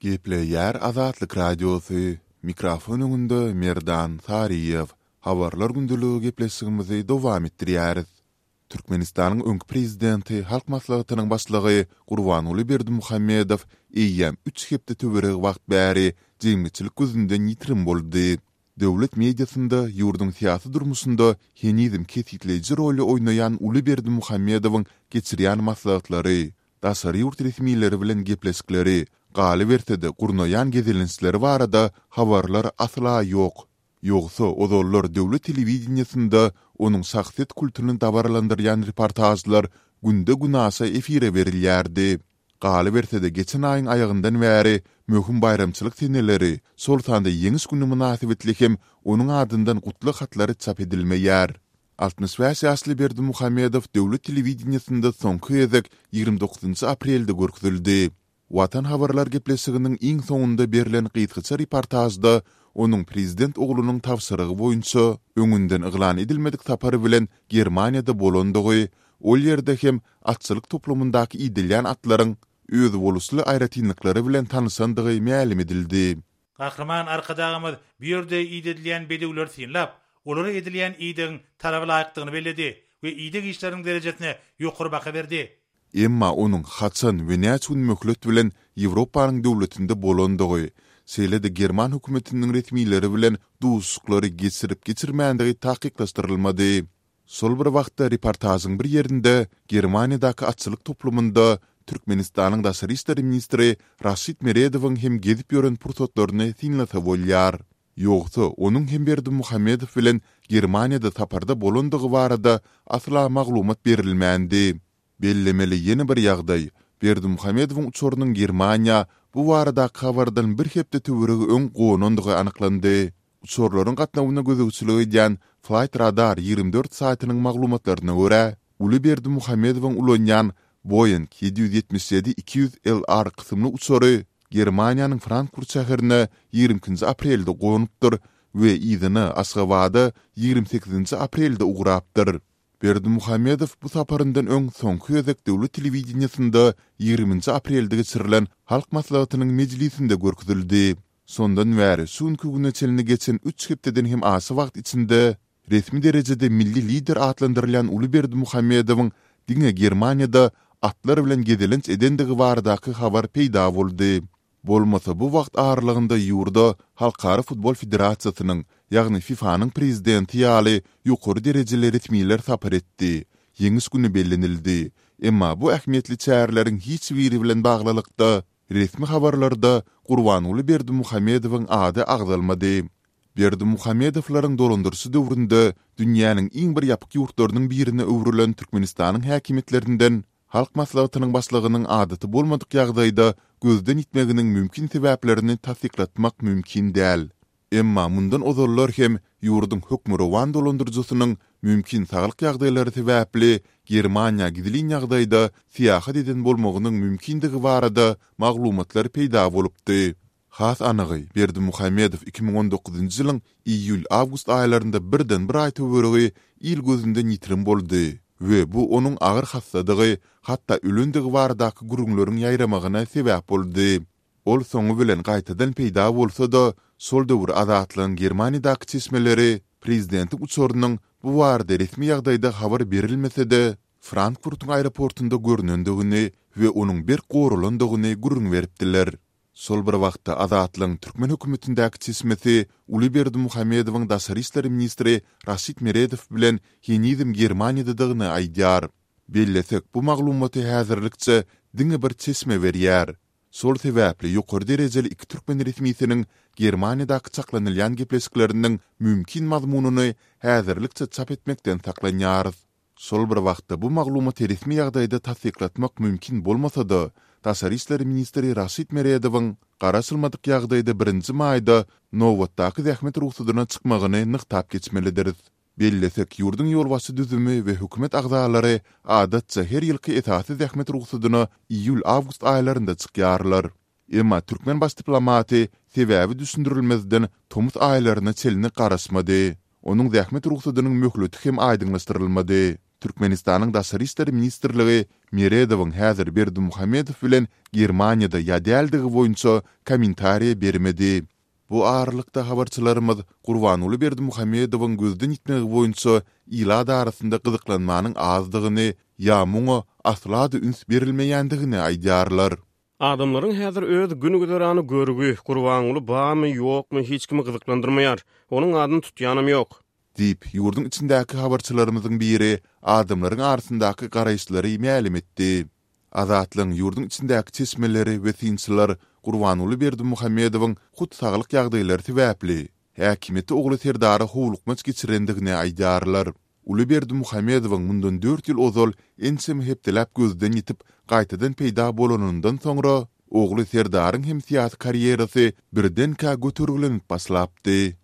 Gepleýär Azatlyk Radiosy, mikrofon öňünde Merdan Saryýew. Habarlar gündeligi gepleşigimizi dowam etdirýäris. Türkmenistanyň öňki prezidenti, Halk Maslahatynyň Başlygy Gurbanguly Berdimuhamedow eýýäm üç hepde töweregi wagt bäri jemgyýetçilik gözünden ýitirim boldy. Döwlet mediasynda ýurduň syýasy durmuşynda henizem kesgitleýji roly oýnaýan uly Berdimuhamedowyň geçirýän maslahatlary, daşary ýurt resmileri bilen gepleşikleri, galyberse-de gurnaýan gezelençleri barada habarlar asla ýok. Ýogsa ozallar döwlet telewideniýesinde onuň şahsyýet kultuny dabaralandyrýan reportažlar günde-günaşa efire berilýärdi. Galyberse-de geçen aýyň aýagyndan bäri möhüm baýramçylyk seneleri, şol sanda Ýeňiş güni mynasybetli hem onuň adyndan gutlag hatlary çap edilmeýär. 65 ýaşly Berdimuhamedow döwlet telewideniýesinde soňky gezek 29 aprelde görkezildi. Watan habarlar gepleşiginiň iň soňunda berlen gysgaça reportažda onuň prezident oglunyň tabşyrygy boýunça öňünden yglan edilmedik sapar bilen Germaniýada bolandygy, ol ýerde hem atçylyk toplumyndaky idilýän atlaryň özboluşly aýratynlyklary bilen tanyşandygy mälim edildi. Gahryman Arkadagymyz bu ýerde idedilýän bedewleri synlap, olara edilýän idegiň talaba laýykdygyny belledi we ideg işleriniň derejesine ýokary baha berdi. Emma onuň haçan we näçe gün möhlet bilen Ýewropanyň döwletinde bolandygy, şeýle-de german hökümetiniň resmileri bilen duşuşyklary geçirip-geçirmändigi takyklaşdyrylmady. Şol bir wagtda reportažyň bir ýerinde Germaniýadaky atçylyk toplumynda Türkmenistanyň daşary işler ministri Raşid Meredowyň hem gezip ýören pursatlaryny synlasa bolýar. Ýogsa, onuň hem Berdimuhamedow bilen Germaniýada saparda bolandygy barada asla maglumat berilmändi. Bellemeli ýene bir ýagdaý, Berdimuhamedowyň uçarynyň Germaniýa bu baradaky habardan bir hepde töweregi öň gonandygy anyklandy. Uçarlaryň gatnawyna gözegçilik edýän Flight Radar 24 saýtynyň maglumatlaryna görä, uly Berdimuhamedowyň ulanýan Boeing 777-200 LR kysymly uçary Germaniýanyň Frankfurt şäherine 22-nji aprelde gonupdyr we yzyna Aşgabada 28-nji aprelde ugrapdyr. Berdimuhamedow bu saparyndan öň soňky gezek döwlet telewideniýesinde 20-nji aprelde geçirilen Halk Maslahatynyň mejlisinde görkezildi. Şondan bäri şu günki güne çenli geçen üç hepdeden hem aşa wagt içinde resmi derejede milli lider atlandyrylýan uly Berdimuhamedowyň diňe Germaniýada atlar bilen gezelenç edendigi baradaky habar peýda boldy. Bolmasa bu wagt aralygynda ýurda Halkara futbol federasiýasynyň, ýagny FIFA-nyň prezidenti ýaly ýokary derejeli resmiler sapar etdi, Ýeňiş güni bellenildi. Emma bu ähmiýetli çäreleriň hiç biri bilen baglylykda Resmi habarlarda Gurbanguly Berdimuhamedowyň ady agzalmady. Berdimuhamedowlaryň dolandyryşy döwründe dünýäniň iň bir ýapyk ýurtlarynyň birine öwrülen Türkmenistanyň häkimiýetlerinden Halk Maslahatynyň Başlygynyň adaty bolmadyk ýagdaýda gözden ýitmeginiň mümkin sebäplerini tassyklatmak mümkin däl. Emma mundan ozallar hem ýurduň hökmürowan dolandyryjysynyň mümkin saglyk ýagdaýlary sebäpli Germaniýa gizlin ýagdaýda syýahat eden bolmagynyň mümkindigi barada maglumatlar peýda bolupdy. Has anygy, Berdimuhamedow 2019-njy ýylyň iýul-awgust aýlarynda birden bir aý töweregi il gözünden ýitirim boldy we bu onuň agyr hassadygy, hatda ölendigi baradaky gürrüňleriň ýaýramagyna sebäp boldy. Ol soňy bilen gaýtadan peýda bolsa-da, şol döwür Azatlygyň Germaniýadaky çeşmeleri prezidentiň uçarynyň bu barada resmi ýagdaýda habar berilmese-de, Frankfurtyň aeroportunda görnendigini we onuň berk goralandygyny gürrüň beripdiler. Şol bir wagtda, Azatlygyň türkmen hökümetindäki çeşmesi uly Berdimuhamedowyň daşary işler ministri Raşid Meredow bilen henizem Germaniýadadygyny aýdýar. Bellesek, bu maglumaty häzirlikçe diňe bir çeşme berýär. Şol sebäpli ýokary derejeli iki türkmen resmisiniň Germaniýadaky çaklanylýan gepleşikleriniň mümkin mazmunyny häzirlikçe çap etmekden saklanýarys. Şol bir wagtda bu maglumaty resmi ýagdaýda tassyklatmak mümkin bolmasa-da, daşary işler ministri Raşid Meredowyň garaşylmadyk ýagdaýda birinji maýda nobatdaky zähmet rugsadyna çykmagyny nygtap geçmelidiris. Bellesek, ýurduň ýolbaşçy düzümi we hökümet agzalary adatça her ýylky esasy zähmet rugsadyna iýul-awgust aýlarynda çykýarlar. Emma türkmen baş diplomaty sebäbi düşündirilmezden tomus aýlaryna çenli garaşmady. Onuň zähmet rugsadynyň möhleti hem aýdyňlaşdyrylmady. Türkmenistanyň Daşary işler ministrligi Meredowyň häzir Berdimuhamedow bilen Germaniýada ýa däldigi boýunça kommentariýa bermedi. Bu aralykda habarçylarymyz Gurbanguly Berdimuhamedowyň gözden ýitmegi boýunça ilat arasynda gyzyklanmanyň azdygyny ýa muňa asla-da üns berilmeýändigini aýdýarlar. Adamlaryň häzir öz gün-güzerany görgi, Gurbanguly barmy, ýokmy hiç kimi gyzyklandyrmaýar. Onuň adyny tutýanam ýok. Diýip, ýurduň içindäki habarçylarymyzyň biri adamlaryň arasyndaky garaýyşlary mälim etdi. Azatlygyň ýurduň içindäki çeşmeleri we synçylar Gurbanguly Berdimuhamedowyň hut saglyk ýagdaýlary sebäpli, häkimiýeti ogly Serdara howlukmaç geçirendigini aýdýarlar. Uly Berdimuhamedowyň mundan dört ýyl ozal ençeme hepdeläp gözden ýitip, gaýtadan peýda bolanyndan soňra, ogly Serdaryň hem syýasy karýerasy birdenkä götergilenip başlapdy.